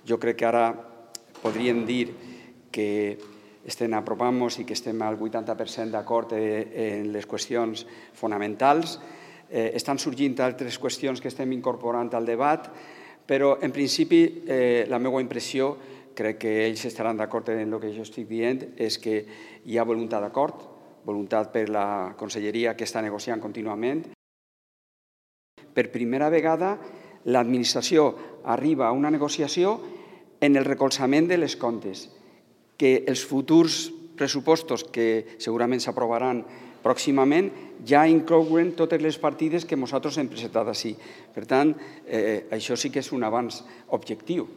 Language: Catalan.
Jo crec que ara podríem dir que apropant-nos i que estem al 80% d'acord en les qüestions fonamentals. Estan sorgint altres qüestions que estem incorporant al debat, però en principi la meva impressió, crec que ells estaran d'acord en el que jo estic dient, és que hi ha voluntat d'acord, voluntat per la conselleria que està negociant contínuament. Per primera vegada l'administració arriba a una negociació en el recolzament de les comptes, que els futurs pressupostos que segurament s'aprovaran pròximament ja inclouen totes les partides que nosaltres hem presentat així. Per tant, això sí que és un avanç objectiu.